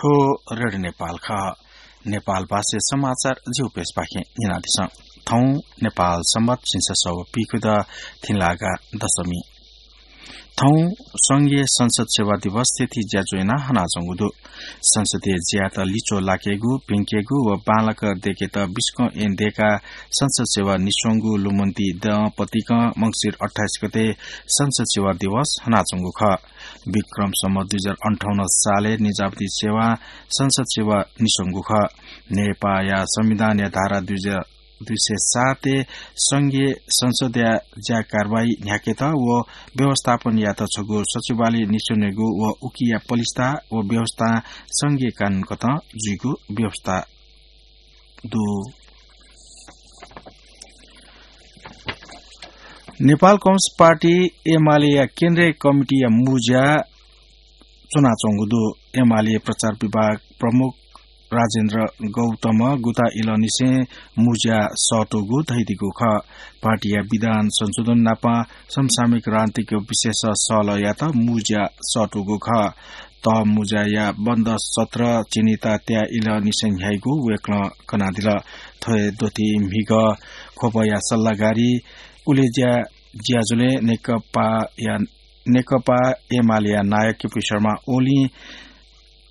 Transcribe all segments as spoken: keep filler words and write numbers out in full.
थ्व रेडियो नेपाल खः। नेपाल भाषाय् समाचार जिगु पेजपाखें न्यनादिसँ। थौं नेपाल संवत् झिंछसः व पीखुदँ थिंलागा दशमी। थौं संघीय संसद सेवा दिवस थीथी ज्याझ्वः यानाः हनाच्वंगु दु। संसदीय ज्यायात लिच्वः लाकेगु, भिंकेगु व बांलाक दय्केत बिस्कं ऐन दय्काः संसद सेवा निस्वंगु लुमन्ति दँ पतिकं मंसिर अट्ठाइस गते संसद सेवा दिवस हनाच्वंगु खः। विक्रम सम्वत् दुई हजार अन्ठाउन्न सालय् निजामती सेवां संसद सेवा निस्वंगु खः। नेपाःया संविधानया धारा दुई हजार, दुई सय सातय् संघीय संसदया ज्या कारवाही न्ह्याकेत व व्यवस्थापन यायेत छगू सचिवालय निस्वनेगु व उकिया पलिस्था व व्यवस्थां संघीय कानून कथं जुइगु व्यवस्था दु। नेपाल कम्युनिस्ट पार्टी एमालेया केन्द्रीय कमिटीया मुंज्या च्वनाच्वंगु दु। एमाले प्रचार विभाग प्रमुख राजेन्द्र गौतमं गुता इलंनिसें मुंज्या सःतूगु धयादीगु खः। पार्टीया विधान संशोधन नाप समसामयिक राजनीतिक विषयस सहलह यायेत मुंज्या सःतूगु खः। तःमुंज्याया बन्द सत्र झिंनिता त्याः इलंनिसें न्ह्याइगु वय्कलं कनादिल। थ्व हे द्वथि म्हिगः ख्वपया सल्लाहकारी उलेज्या ज्याझ्वलय् नेकपाया, नेकपा एमालेया नायः केपी शर्मा ओलीं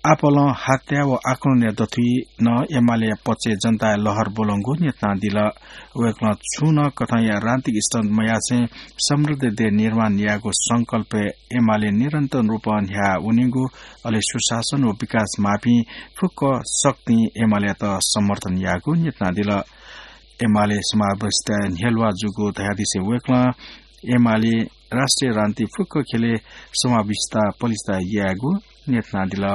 आपालं हत्या व आक्रमणया द्वथुइ नं एमालेया पक्षय् जनताया लहर ब्वलंगु न्ह्यथनादिल। वय्कलं छुं नं कथंया राजनीतिक स्टन्ट मयासें समृद्ध देय् निर्माण यायेगु संकल्पय् एमाले निरन्तर रूपं न्ह्याः वनीगु, अले सुशासन व विकास माःपिं फुक्क शक्तिं एमालेयात समर्थन याःगु न्ह्यथनादिल। एमाले समावेशिता न्ह्यलुवा जूगु धयादिसें वय्कलं एमाले राष्ट्रिय राजनीति फुक्क ख्यलय् समावेशिता पलिस्था यायेगु न्ह्यथनादिल।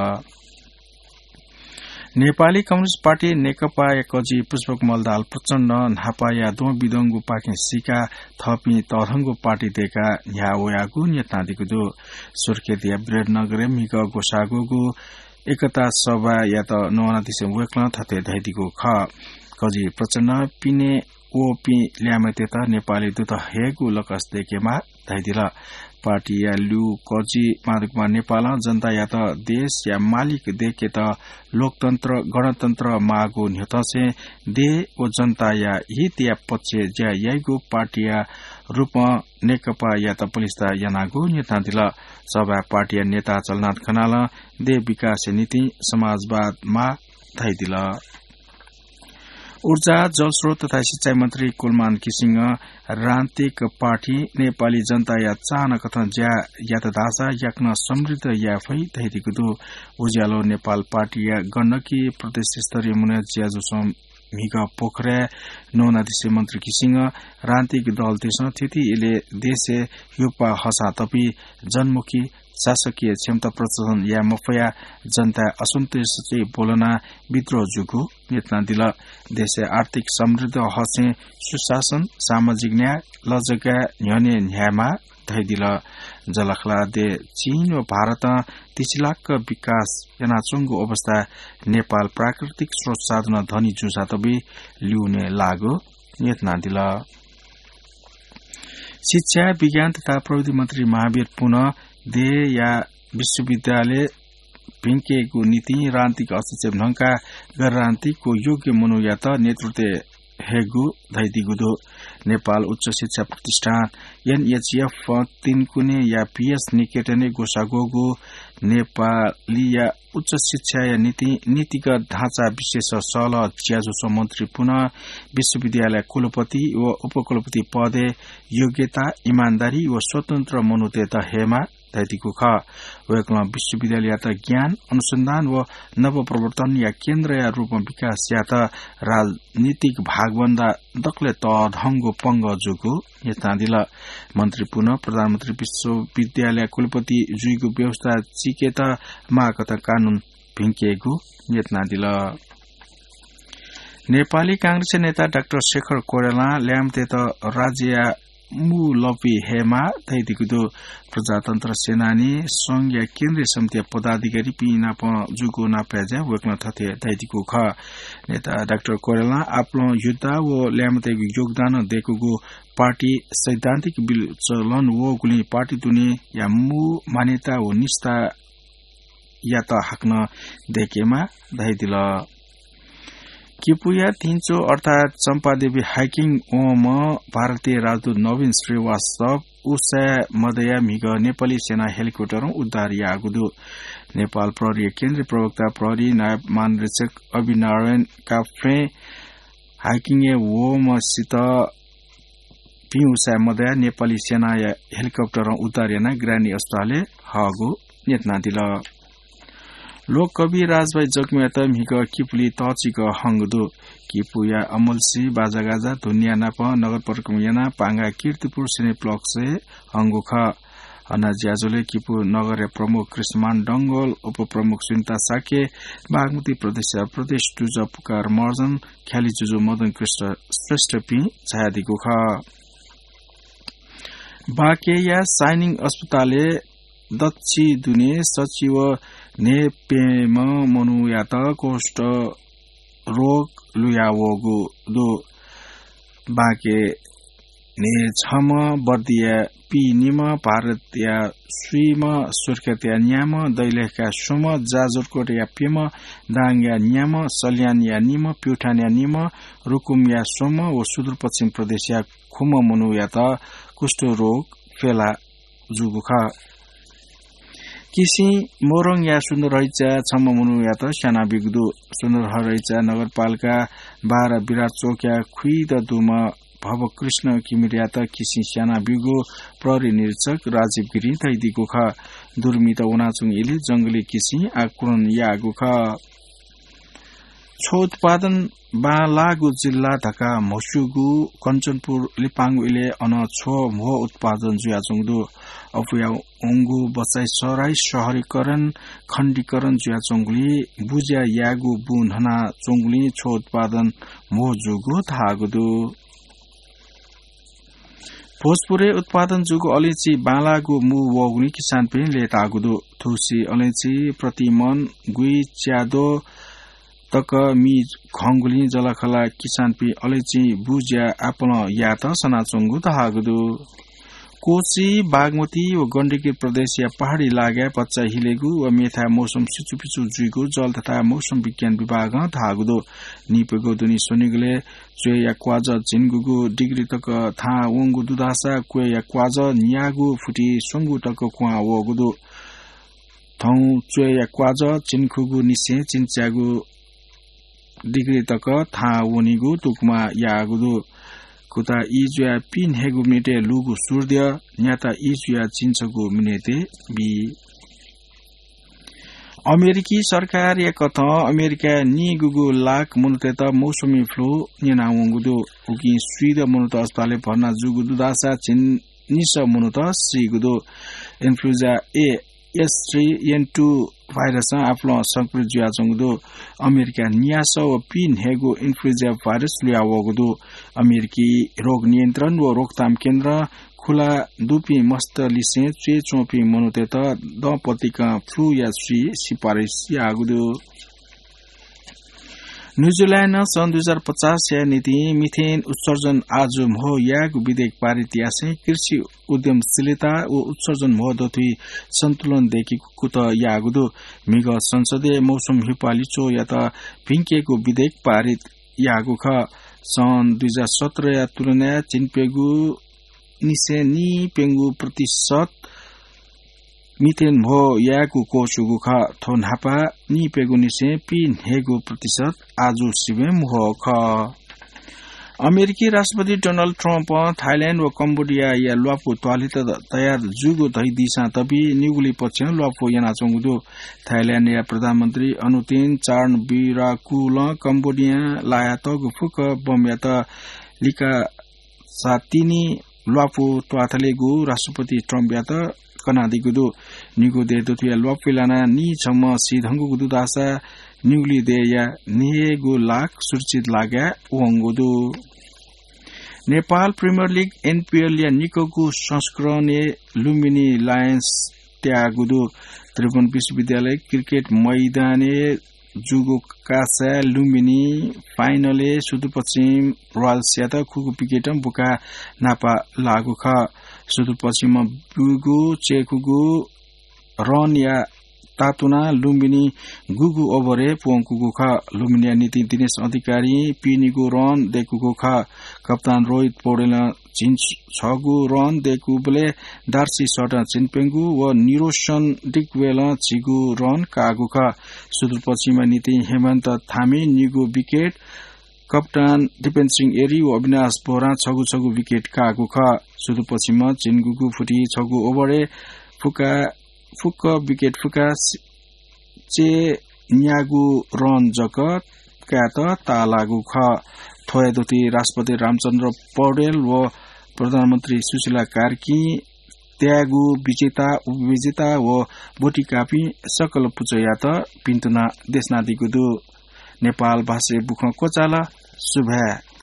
नेपाली कम्युनिस्ट पार्टी नेकपाया कजि पुष्पकमल दाहाल प्रचण्ड न्हापाया द्वंबिद्वंगुपाखें सीकाः थःपिं तःधंगु पार्टी दय्काः न्ह्याः वयागु न्ह्यथनादीगु दु। सुर्खेतया विराटनगरय् म्हिगः ग्वसाः ग्वःगु एकता सभायात नवानादिसें वय्कलं थथे धयादीगु खः। कजि प्रचण्डं पिने वःपिं ल्याय्म्हय्तय्त नेपाली दूत हयेगु लकस दय्केमाः धयादिल। पार्टीया ल्यू कजि माधवकुमार नेपालं जनतायात देशया मालिक दय्केत लोकतन्त्र, गणतन्त्र माःगु न्ह्यथंसें देय् व जनताया हितया पक्षय् ज्या याइगु पार्टीया रूपं नेकपायात पलिस्था यानागु न्ह्यथनादिल। सभाय् पार्टीया नेता झलनाथ खनालं देय् विकासया निंतिं समाजवाद माः धयादिल। ऊर्जा, जलस्रोत तथा सिँचाइ मन्त्री कुलमान घिसिङं राजनीतिक पार्टी नेपाली जनताया चाहना कथं ज्या यात धाःसा याकनं समृद्ध याये फइ धयादीगु दु। उज्यालो नेपाल पार्टीया गण्डकी प्रदेश स्तरीय मनोनयन ज्याझ्वलय् म्हिगः पोखराय् नवानादिसें मन्त्री घिसिङं राजनीतिक दलतय्सं थीथी इलय् देशय् ह्युप्पा हःसां तपि जनमुखी शासकीय क्षमता प्रदर्शन याये मफयाः जनताय् असन्तुष्टि ब्वलनाः विद्रोह जूगु न्ह्यथनादिल। देशय् आर्थिक समृद्ध हःसें सुशासन, सामाजिक न्याय, लजगाय् न्ह्यःने न्ह्यायेमाः धयादिल। जःलाखःला देय् चीन व भारतं तिसिलाक्क विकास यानाच्वंगु अवस्थाय् नेपाल प्राकृतिक स्रोत साधनं धनी जूसां तबि ल्यूने लाःगु न्ह्यथनादिल। शिक्षा, विज्ञान तथा प्रविधि मन्त्री महावीर पुनं देय्‌या विश्वविद्यालय भिंकेगु निंतिं राजनीतिक हस्तक्षेप न्हंकाः गैर राजनीतिक व योग्य मनूयात नेतृत्वय् हयेगु धयादीगु दु। नेपाल उच्च शिक्षा प्रतिष्ठान, एनएचएफ, तिनकुनेया पिएस निकेतनय् ग्वसाः ग्वःगु नेपालीया उच्च शिक्षाया निंतिं नीतिगत ढाँचा विषयस सहलह ज्याझ्वलय् मन्त्री पुनं विश्वविद्यालय कुलपति व उपकुलपति पदय् योग्यता, इमानदारी व स्वतन्त्र मनूतय्त हयेमाः धयादीगु खः। वय्कलं विश्वविद्यालययात ज्ञान, अनुसन्धान व नवप्रवर्तनया केन्द्रया रूपं विकास यायेत राजनीतिक भागभन्दा दकलय् तःधंगु पंगः जूगु न्ह्यथनादिल। मन्त्री पुनं प्रधानमन्त्री विश्वविद्यालय कुलपति जुइगु व्यवस्था चीकेत माःकथं कानून भिंकेगु न्ह्यथनादिल। नेपाली कांग्रेसया नेता डाक्टर शेखर कोइरालां ल्याय्म्हय्तय्त राज्यया मू लँपुइ हयेमाः धयादीगु दु। प्रजातन्त्र सेनानी, संघया केन्द्रीय समितिया पदाधिकारीपिं नाप जूगु नापय्ज्याय् वय्कलं थथे धयादीगु खः। नेता डाक्टर कोइरालां आपालं योद्धा व ल्याय्म्हय्तय्गु योगदानं दय्कूगु पार्टी सैद्धान्तिक विचलन वःगुलिं पार्टी दुनेया मू मान्यता व निष्ठा यात हाकनं दय्केमा धयादिल। किपूया तिन्चो अर्थात् चम्पादेवी hiking वंम्ह भारतीय राजदूत नवीन श्रीवास्तव उसाँय् मदया म्हिगः नेपाली सेना helicopter-ं उद्धार याःगु दु। नेपाल प्रहरीया केन्द्रीय प्रवक्ता प्रहरी नायब महानिरीक्षक अभिनारायण काफ्रें hiking-य् वःम्हसित पिं उसाँय् मदया नेपाली सेनाया helicopter-ं उद्धार यानाः ग्रानी अस्पतालय् हःगु न्यनादिल। लोककवि राजभाइ जक्यम्यात म्हिगः किपुली तःचिकः हंगु दु। किपुया अमलसी बाजागाजा धुनिया नाप नगर परिक्रमा यानाः पांगा कीर्तिपुर Cineplex-य् हंगु खः। हना ज्याझ्वलय् किपु नगरया प्रमुख कृष्णमान डंगोल, उपप्रमुख सुनिता शाक्य, बागमती प्रदेशया प्रदेश दुजः पुकार महर्जन, ख्याली जुजु मदन कृष्ण श्रेष्ठपिं झायादीगु खः। बाँकेया साइनिङ अस्पतालय् दच्छि दुने सच्छि व न्हय्प्यम्ह मनूयात कुष्ठ रोग लुयावःगु दु। बाँके न्हय्छम्ह बर्दिया पीनिम्ह, भारतया स्वीम्ह, सुर्खेतया न्याम्ह, दैलेखया स्वम्ह, जाजरकोटया प्यम्ह, दाङया न्याम्ह, सल्यानया निम्ह, प्युठानया निम्ह, रुकुमया स्वम्ह व सुदूरपश्चिम प्रदेशया खुम्ह मनूयात कुष्ठ रोग फैला जूगु खः। किसिं मोरङया सुन्दरहरिचा छम्ह मनूयात स्यानाबीगु दु। सुन्दरहरिचा नगरपालिका बाह्र विराट चोकया खुइद दुम्ह भवकृष्ण किमिरयात किसिं स्यानाबीगु प्रहरी निरीक्षक राजीव गिरिं धयादीगु खः। दुर्मित वनाच्वंगु इलय् जंगली किसिं आक्रमण याःगु खः। छ्व उत्पादन बांलाःगु जिल्ला धकाः म्हस्यूगु कञ्चनपुर लिपांगु इलय् अन छ्व म्हो उत्पादन जुयाच्वंगु दु। अपुया वंगु बचाइ सराइ, सहरीकरण, खण्डीकरण जुयाच्वंगुलिं बुज्या यायेगु बुँ न्हनाच्वंगुलिं छ्व उत्पादन म्हो जूगु धाःगु दु। भोजपुरय् उत्पादन जूगु अलैंची बांलाःगु मू वःगुलिं किसानपिं लय्ताःगु दु। थुसी अलैंची प्रति मन गुइच्याद्वः तक मि खंगुलिं जःलाखःला किसानपिं अलैंची बुज्या आपालं यायेत सनाच्वंगु धाःगु दु। कोशी, बागमती व गण्डकी प्रदेशया पहाडी लागाय् भचा हिलेगु व मेथाय् मौसम सिचुपिचु जुइगु जल तथा मौसम विज्ञान विभागं धाःगु दु। निइप्यघौ दुने स्वनिगलय् च्वय्या क्वाजः झिंगुगु डिग्री तक थाहां वंगु दुधाःसा क्वय्या क्वाजः न्यागू फुति स्वंगू तक क्वहां वःगु दु। थौं च्वय्या क्वाजः झिंखुगू निसें झिंच्यागू डिग्री तक थाहां वनीगु तुकमा याःगु दु। कुता ई जुयाः पीन्हय्गू मिनेटय् लूगु सूर्य न्याता ई जुयाः झिंछगू मिनेटय् बी। अमेरिकी सरकारया कथं अमेरिकाय् नीगुगु लाख मनूतय्त मौसमी फ्लू न्यनावंगु दु। उकिं स्वीदँ मनूत अस्पतालय् भर्ना जूगु दुधाःसा झिंनिसः मनूत सीगु दु। Influenza A H three N two भाइरसं आपालं संक्रमित जुयाच्वंगु दु। अमेरिकाय् न्यासः व पीन्हय्गू इन्फ्लुएन्जा भाइरस लुयावःगु दु। अमेरिकी रोग नियन्त्रण व रोकथाम केन्द्रं खुला दुपिं मस्त लिसें च्वय् च्वंपिं मनूतय्त दँपतिकं फ्लूया स्वी सिफारिस याःगु दु। न्यूजिल्यान्डं सन् दुई हजार पचासया निंतिं मिथेन उत्सर्जन आजु म्हो यायेगु विधेयक पारित यासें कृषि उद्यमशीलता व उत्सर्जन म्हो दथुइ सन्तुलन दय्केगु कुतः याःगु दु। म्हिगः संसदय् मौसम हिप्वाः लिच्वःयात भिंकेगु विधेयक पारित याःगु खः। सन् दुई हजार सत्रया तुलनाय् झिंप्यघौ निसें नीप्यघौ प्रतिशत मिथेन म्हो यायेगु क्वःछूगु खः। थ्व न्हापा नीप्यघौ निसें पीन्हय्गू प्रतिशत आजु सिबें म्हो खः। अमेरिकी राष्ट्रपति डोनाल्ड ट्रम्पं थाइल्याण्ड व कम्बोडियाया ल्वापु त्वाःलेत तयार जूगु धइदीसां तबि निगुलिं पक्षं ल्वापु यानाच्वंगु दु। थाइल्याण्डया प्रधानमन्त्री अनुतिन चार्नविराकुलं कम्बोडियां लायातःगु फुक्क बमयात लिकासातिनि ल्वापु त्वाःथलेगु राष्ट्रपति ट्रम्पयात कनादीगु दु। निगू देय् दथुया ल्वापुइ लानाः नीछम्ह सीधंगु दुधाःसा निगुलिं देय्या न्हय्गू लाख सुरक्षित लागाय् वंगु दु। नेपाल प्रिमियर लिग, एनपिएलया निकःगु संस्करणय् लुम्बिनी लायन्स त्याःगु दु। त्रिभुवन विश्वविद्यालय क्रिकेट मैदानय् जूगु कासाय् लुम्बिनी फाइनलय् सुदूरपश्चिम रोयल्सयात खुगू विकेटं बुकाः न्हापा लाःगु खः। सुदूरपश्चिमं ब्यूगु चय्कूगु रनया तातुना लुम्बिनी गुगु ओभरय् प्वंकूगु खः। लुम्बिनीया निंतिं दिनेश अधिकारी पीनिगु रन दय्कूगु खः। कप्तान रोहित पौडेलं झिंछ-, छगू रन दय्कूबलय् डार्सी सटं झिंप्यंगू व निरोशन डिकवेलं झिगू रन काःगु खः। सुदूरपश्चिमया निंतिं हेमन्त थामी निगू विकेट, कप्तान दिपेन सिंह एरी व अविनाश बोहरां छगू छगू विकेट काःगु खः। सुदूरपश्चिमं झिंगुगु फुति छगू ओभरय् फुक्क, फुक्क विकेट फुकाः सि-, चय्न्यागू रन जक कायेत ताःलाःगु खः। थ्वया धुति राष्ट्रपति रामचन्द्र पौडेल व प्रधानमन्त्री सुशीला कार्कीं त्याःगु विजेता, उपविजेता व ब्वतिकाःपिं सकल पुचःयात भिन्तुना देछानादीगु दु। नेपाल भाषाय् बुखँ क्वचाल। सुभाय्।